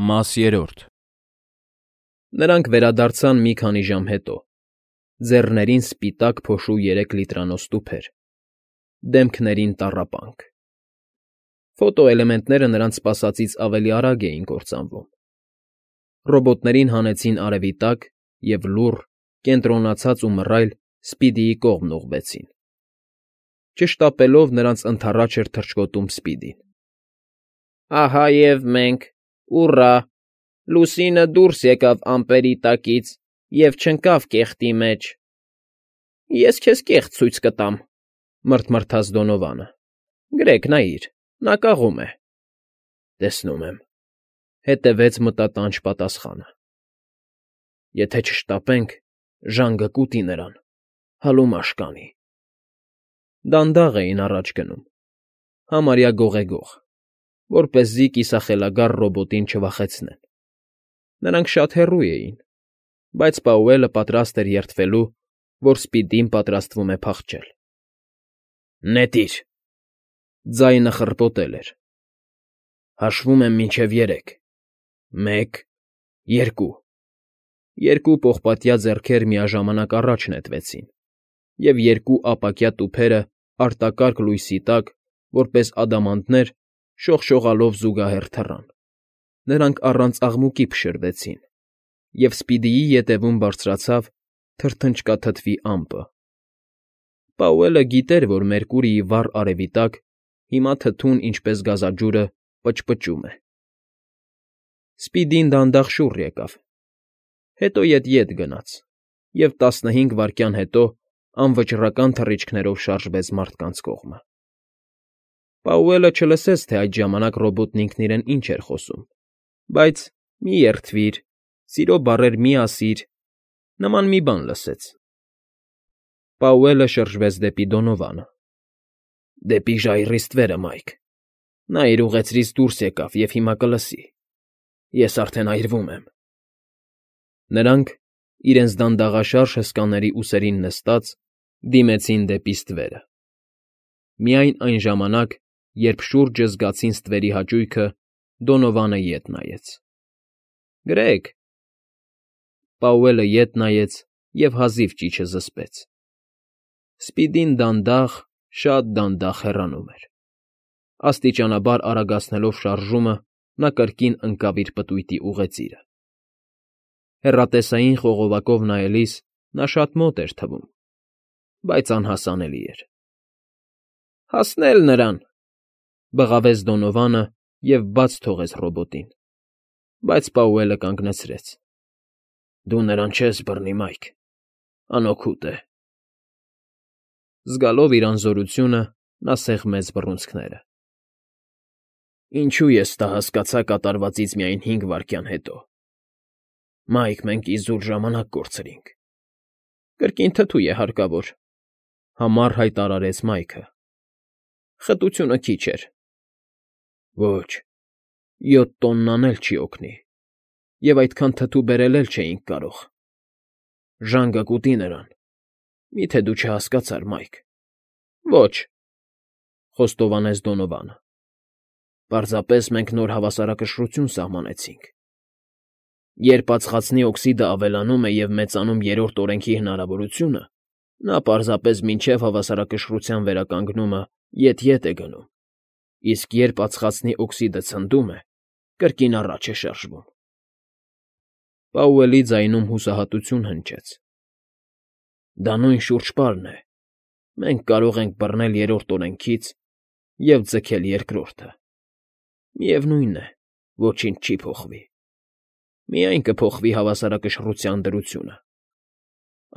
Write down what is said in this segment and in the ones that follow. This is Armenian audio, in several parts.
Մաս երրորդ Նրանք վերադարձան մի քանի ժամ հետո, ձեռներին սպիտակ փոշու 3 լիտրանոց տուփեր, դեմքներին տառապանք. ֆոտոէլեմենտները նրանց սպասածից ավելի արագ էին կործանվում. ռոբոտներին հանեցին արևի տակ և լուռ, կենտրոնացած ու մռայլ Սպիդիի կողմն ուղղվեցին. Չշտապելով նրանց ընդառաջ էր թռչկոտում Սպիդին։ Ահա և մենք, ուռա, լուսինը դուրս եկավ ամպերի տակից և չընկավ կեղտի մեջ։ Ես քեզ կեղտ ցույց կտամ, մռթմռթաց Դոնովանը։ Գրեգ, նայիր, նա կաղում է։ Տեսնում եմ, հետևեց մտատանջ պատասխանը։ Եթե չշտապենք, ժանգը կուտի նրան, հալումաշ կանի։ Դանդաղ էին առաջ գնում, համարյա գողեգող, որպեսզի կիսախելագար ռոբոտին չվախեցնեն։ Նրանք շատ հեռու էին, բայց Պաուելը պատրաստ էր երդվելու, որ Սպիդին պատրաստվում է փախչել։ Նետիր… Ձայնը խռպոտել էր։ Հաշվում եմ մինչև 3, 1, 2… Երկու պողպատյա ձեռքեր միաժամանակ առաջ նետվեցին, և երկու ապակյա տուփերը արտակարգ լույսի տակ, որպես ադամանդներ, շողշողալով զուգահեռ թռան։ Նրանք առանց աղմուկի փշրվեցին, և Սպիդիի ետևում բարձրացավ թրթնչկաթթվի ամպը։ Պաուելը գիտեր, որ Մերկուրիի վառ արևի տակ հիմա թթուն, ինչպես գազաջուրը, պճպճում է։ Սպիդին դանդաղ շուռ եկավ, հետո ետ գնաց, և 15 վայրկյան հետո անվճռական թռիչքներով շարժվեց մարդկանց կողմը։ Պաուելը չլսեց, թե այդ ժամանակ ռոբոտն ինքն իրեն ինչ էր խոսում, բայց «մի երդվիր», «սիրո բառեր մի ասիր» նման մի բան լսեց։ Պաուելը շրջվեց դեպի Դոնովանը։ Դեպի ժայռի ստվերը, Մայք։ Նա իր ուղեցրից դուրս եկավ և հիմա կլսի։ Ես արդեն այրվում եմ։ Նրանք, իրենց դանդաղաշարժ հսկաների ուսերին նստած, դիմեցին դեպի ստվերը։ Միայն այն ժամանակ, երբ շուրջը զգացին ստվերի հաճույքը, Դոնովանը ետ նայեց։ Գրեգ… Պաուելը ետ նայեց և հազիվ ճիչը զսպեց։ Սպիդին դանդաղ, շատ դանդաղ հեռանում էր։ Աստիճանաբար արագացնելով շարժումը, նա կրկին ընկավ իր պտույտի ուղեծիրը։ Հեռատեսային խողովակով նայելիս նա շատ մոտ էր թվում, բայց անհասանելի էր։ Հասցնել նրան…֊ բղավեց Դոնովանը և բաց թողեց ռոբոտին, բայց Պաուելը կանգնեցրեց։ Դու նրան չես բռնի, Մայք, անօգուտ է։ Զգալով իր անզորությունը՝ նա սեղմեց բռունցքները։ Ինչո՞ւ ես դա հասկացա կատարվածից միայն 5 վայրկյան հետո։ Մայք, մենք իզուր ժամանակ կորցրինք։ Կրկին թթու է հարկավոր,֊ համառ հայտարարեց Մայքը։ Խտությունը քիչ էր։ Ոչ, 7 տոննան էլ չի օգնի, և այդքան թթու բերել էլ չէինք կարող։ Ժանգը կուտի նրան։ Մի՞թե դու չհասկացար, Մայք։ Ոչ,֊ խոստովանեց Դոնովանը։ Պարզապես մենք նոր հավասարակշռություն սահմանեցինք։ Երբ ածխածնի օքսիդը ավելանում է և մեծանում 3-րդ օրենքի հնարավորությունը, նա պարզապես մինչև հավասարակշռության վերականգնումը ետ է գնում, իսկ երբ ածխածնի օքսիդը ցնդում է, կրկին առաջ է շարժվում։ Պաուելի ձայնում հուսահատություն հնչեց։ Դա նույն շուրջպարն է։ Մենք կարող ենք բռնել 3-րդ օրենքից և ձգել 2-րդը։ Միևնույն է, ոչինչ չի փոխվի։ Միայն կփոխվի հավասարակշռության դրությունը։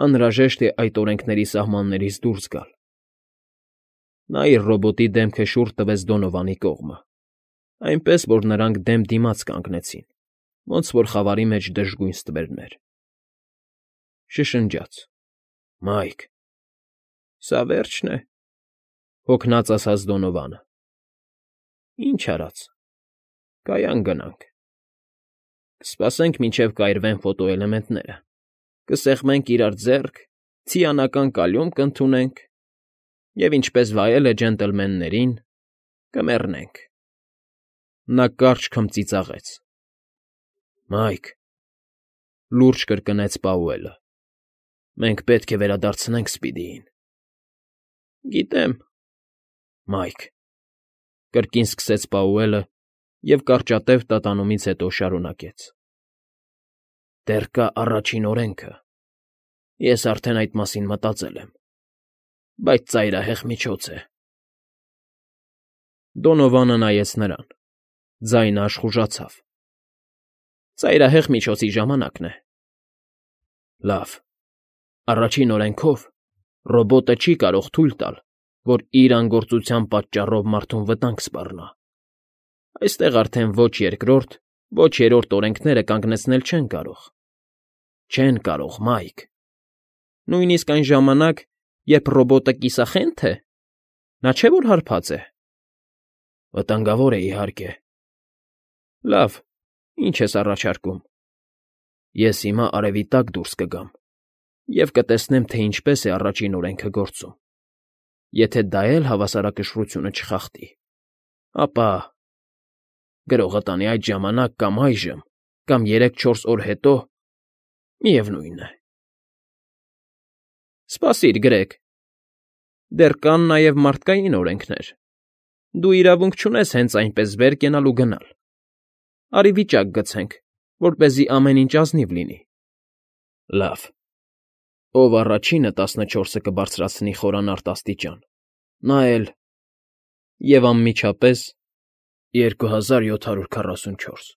Անհրաժեշտ է այդ օրենքների սահմաններից դուրս գալ։ Նա իր ռոբոտի դեմքը շուռ տվեց Դոնովանի կողմը, այնպես, որ նրանք դեմ դիմաց կանգնեցին, ոնց որ խավարի մեջ դժգույն ստվերներ։ Շշնջաց. Մայք… Սա վե՞րջն է,֊ հոգնած ասաց Դոնովանը։ Ինչ արած… Կայան գնանք։ Կսպասենք, մինչև կայրվեն ֆոտոէլեմենտները, կսեղմենք իրար ձեռք, ցիանական կալյում կընդունենք և, ինչպես վայել է ջենտլմեններին, կմեռնենք։ Նա կարճ քմծիծաղեց։ Մայք, լուրջ կրկնեց Պաուելը, մենք պետք է վերադարձնենք Սպիդիին։ Գիտեմ, Մայք, կրկին սկսեց Պաուելը և կարճատև տատանումից հետո շարունակեց. Դեռ կա առաջին օրենքը, ես արդեն այդ մասին մտածել եմ, բայց ծայրահեղ միջոց է։ Դոնովանը նայեց նրան, ձայնը աշխուժացավ։ Ծայրահեղ միջոցի ժամանակն է։ Լավ, առաջին օրենքով ռոբոտը չի կարող թույլ տալ, որ իր անգործության պատճառով մարդուն վտանգ սպառնա։ Այստեղ արդեն ոչ երկրորդ, ոչ երրորդ օրենքները կանգնեցնել չեն կարող։ Չեն կարող, Մայք։ Նույնիսկ այն ժամանակ, երբ ռոբոտը կիսախենթ է, նա չէ՞ որ հարբած է։ Վտանգավոր է, իհարկե։ Լավ, ինչ ես առաջարկում։ Ես հիմա արևի տակ դուրս կգամ և կտեսնեմ, թե ինչպես է առաջին օրենքը գործում։ Եթե դա էլ հավասարակշռությունը չխախտի, ապա… Գրողը տանի այդ ժամանակ կամ այժմ, կամ 3-4 օր հետո, միևնույն է։ Սպասիր, Գրեգ, դեռ կան նաև մարդկային օրենքներ։ Դու իրավունք չունես հենց այնպես վեր կենալ ու գնալ։ Արի վիճակ գցենք, որպեսզի ամեն ինչ ազնիվ լինի։ Լավ, ով առաջինը 14-ը կբարձրացնի խորանարդ աստիճան, նա էլ… Եվ անմիջապես 2744։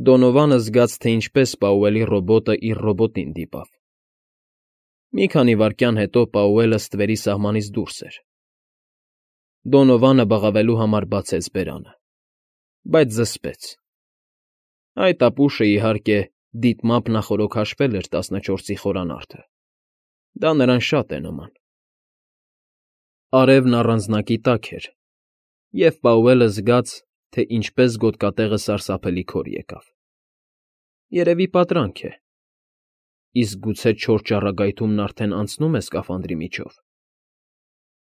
Դոնովանը զգաց, թե ինչպես Պաուելի ռոբոտը իր ռոբոտին դիպավ։ Մի քանի վայրկյան հետո Պաուելը ստվերի սահմանից դուրս էր։ Դոնովանը բղավելու համար բացեց բերանը, բայց զսպեց։ Այդ ապուշը, իհարկե, դիտմամբ նախօրոք հաշվել էր 14-ի խորանարդը։ Դա նրան շատ է նման։ Արևն առանձնակի տակ էր, և Պաուելը զգաց, թե ինչպես գոտկատեղը սարսափելի քոր եկավ։ Երևի պատրանք է։ Իսկ գուցե չոր ճառագայթումն արդեն անցնում է սկաֆանդրի միջով։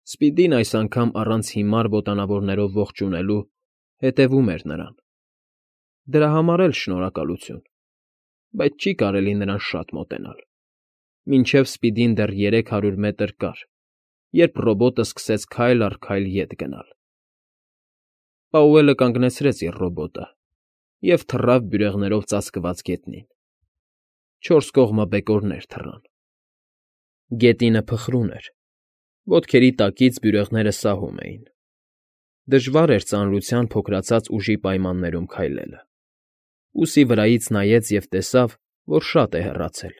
Սպիդին այս անգամ առանց հիմար ոտանավորներով ողջունելու հետևում էր նրան։ Դրա համար էլ շնորհակալություն, բայց չի կարելի նրան շատ մոտենալ։ Մինչև Սպիդին դեռ 300 մետր կար, երբ ռոբոտը սկսեց քայլ առ քայլ ետ գնալ։ Պաուելը կանգնեցրեց իր ռոբոտը և թռավ բյուրեղներով ծածկված գետնին։ 4 կողմը բեկորներ թռան։ Գետինը փխրուն էր, ոտքերի տակից բյուրեղները սահում էին։ Դժվար էր ծանրության փոքրացած ուժի պայմաններում քայլելը։ Ուսի վրայից նայեց և տեսավ, որ շատ է հեռացել,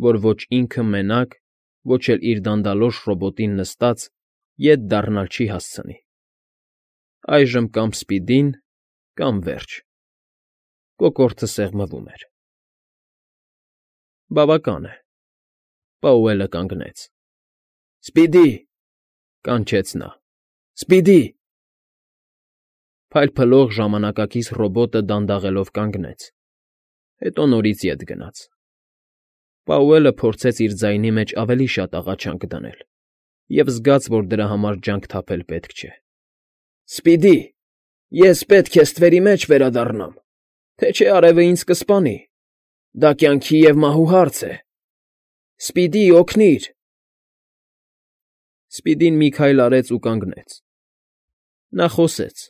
որ ոչ ինքը մենակ, ոչ էլ իր դանդալոշ ռոբոտին նստած ետ դառնալ չի հասցնի։ Այժմ կամ Սպիդին, կամ վերջ։ Կոկորդը սեղմվում էր։ Բավական է։ Պաուելը կանգնեց։ Սպիդի, կանչեց նա։ Սպիդի… Փայլփլող ժամանակակից ռոբոտը դանդաղելով կանգնեց, հետո նորից ետ գնաց։ Պաուելը փորձեց իր ձայնի մեջ ավելի շատ աղաչանք դնել և զգաց, որ դրա համար ջանք թափել պետք չէ։ Սպիդի, ես պետք է ստվերի մեջ վերադառնամ, թե չէ արևը ինձ կսպանի։ Դա կյանքի և մահու հարց է։ Սպիդի, օգնիր… Սպիդին մի քայլ արեց ու կանգնեց։ Նա խոսեց,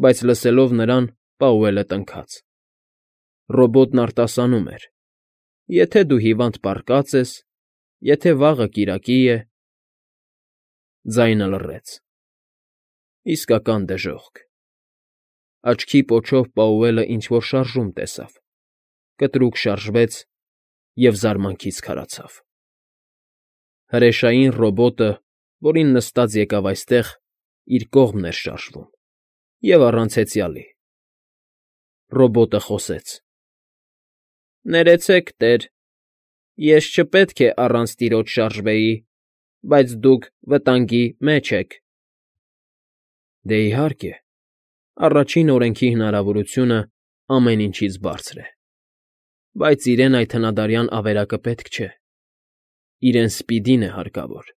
բայց լսելով նրան՝ Պաուելը տնքաց։ Ռոբոտն արտասանում էր. եթե դու հիվանդ պառկած ես, եթե վաղը կիրակի է… Ձայնը լռեց։ Իսկական դժոխք։ Աչքի պոչով Պաուելը ինչ֊որ շարժում տեսավ, կտրուկ շարժվեց և զարմանքից քարացավ։ Հրեշային ռոբոտը, որին նստած եկավ այստեղ, իր կողմն էր շարժվում, և առանց հեծյալի։ Ռոբոտը խոսեց. Ներեցեք, տեր, ես չպետք է առանց տիրոջ շարժվեի, բայց դուք վտանգի մեջ եք։ Դե, իհարկե, առաջին օրենքի հնարավորությունը ամեն ինչից բարձր է, բայց իրեն այդ հնադարյան ավերակը պետք չէ։ Իրեն Սպիդին է հարկավոր։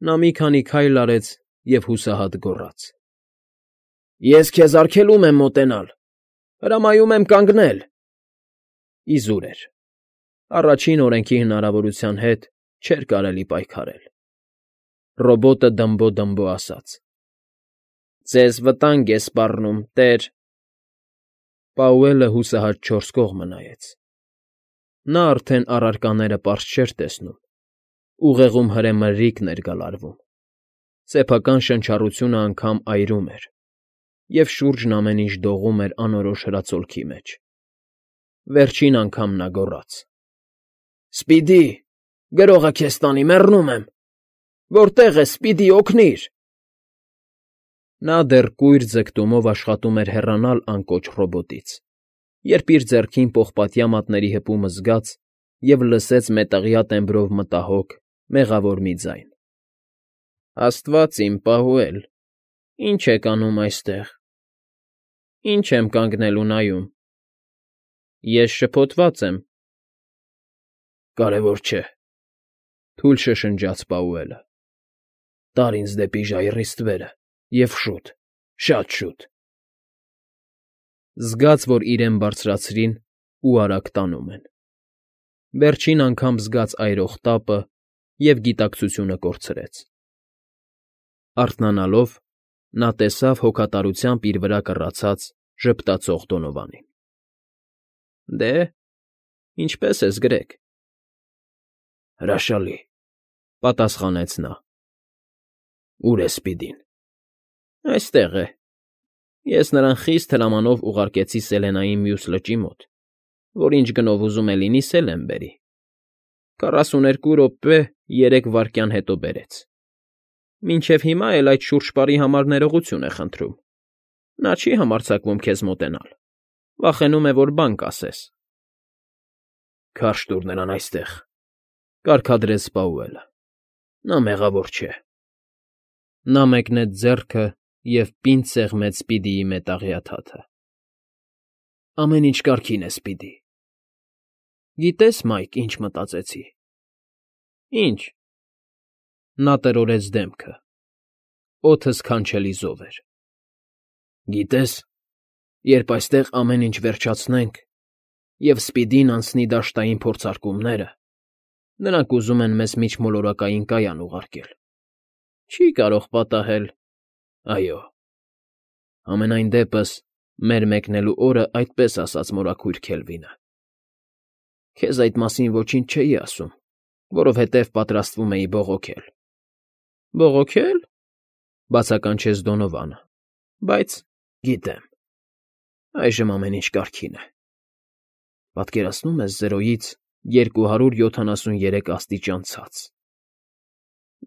Նա մի քանի քայլ արեց և հուսահատ գոռաց. Ես քեզ արգելում եմ մոտենալ։ Հրամայում եմ կանգնել։ Իզուր էր։ Առաջին օրենքի հնարավորության հետ չէր կարելի պայքարել։ Ռոբոտը դմբո ասաց. Ձեզ վտանգ է սպառնում, տեր։ Պաուելը հուսահատ չորս կողմը նայեց։ Նա արդեն առարկաները պարզ չէր տեսնում։ Ուղեղում հրեմրրիկն էր գալարվում։ Սեփական շնչառությունը անգամ այրում էր, և շուրջն ամեն ինչ դողում էր անորոշ հրացոլքի մեջ։ Վերջին անգամ նա գոռաց. Սպիդի, գրողը քեզ տանի, մեռնում եմ։ Որտե՞ղ ես, Սպիդի, օգնիր։ Նա դեռ կույր ձգտումով աշխատում էր հեռանալ անկոչ ռոբոտից, երբ իր ձեռքին պողպատյա մատների հպումը զգաց և լսեց մետաղյա տեմբրով մտահոգ, մեղավոր մի ձայն. Աստված իմ, Պաուել, ի՞նչ եք անում այստեղ։ Ի՞նչ եմ կանգնել ու նայում։ Ես շփոթված եմ։ Կարևոր չէ, թույլ շշնջաց Պաուելը։ Տար ինձ դեպի ժայռի ստվերը և շուտ, շատ շուտ։ Զգաց, որ իրեն բարձրացրին ու արագ տանում են։ Վերջին անգամ զգաց այրող տապը և գիտակցությունը կորցրեց։ Արթնանալով՝ նա տեսավ հոգատարությամբ իր վրա կռացած ժպտացող Դոնովանին։ Դե, ինչպե՞ս ես, Գրեգ։ Հրաշալի, պատասխանեց նա։ Ո՞ւր է Սպիդին։ Այստեղ է։ Ես նրան խիստ հրամանով ուղարկեցի Սելենայի մյուս լճի մոտ, որ ինչ գնով ուզում է լինի Սելեն բերի։ 42 րոպե 3 վայրկյան հետո բերեց։ Մինչև հիմա էլ այդ շուրջպարի համար ներողություն է խնդրում։ Նա չի համարձակվում քեզ մոտենալ, վախենում է, որ բան կասես։ Քարշ տուր նրան այստեղ, կարգադրեց Պաուելը։ Նա մեղավոր չէ։ Նա մեկնեց ձեռքը և պինդ սեղմեց Սպիդիի մետաղյա թաթը։ Ամեն ինչ կարգին է, Սպիդի։ Գիտե՞ս, Մայք, ինչ մտածեցի։ Ինչ։ Նա տրորեց դեմքը։ Օդը սքանչելի զով էր։ Գիտես, երբ այստեղ ամեն ինչ վերջացնենք, և Սպիդին անցնի դաշտային փորձարկումները, նրանք ուզում են մեզ միջմոլորակային կայան ուղարկել։ Չի կարող պատահել։ Այո։ Համենայն դեպս, մեր մեկնելու օրը այդպես ասաց մորաքույր Քելվինը։ Քեզ այդ մասին ոչինչ չէի ասում, որովհետև պատրաստվում էի բողոքել։ Բողոքել,֊ բացականչեց Դոնովանը,֊ բայց գիտեմ։ Այժմ ամեն ինչ կարգին է։ Պատկերացնում ես 0-ից 273 աստիճան ցած։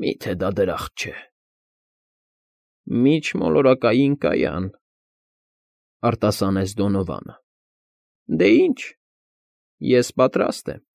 Մի՞թե դա դրախտ չէ։ Միջմոլորակային կայան,֊ արտասանեց Դոնովանը։ Դե ինչ, ես պատրաստ եմ։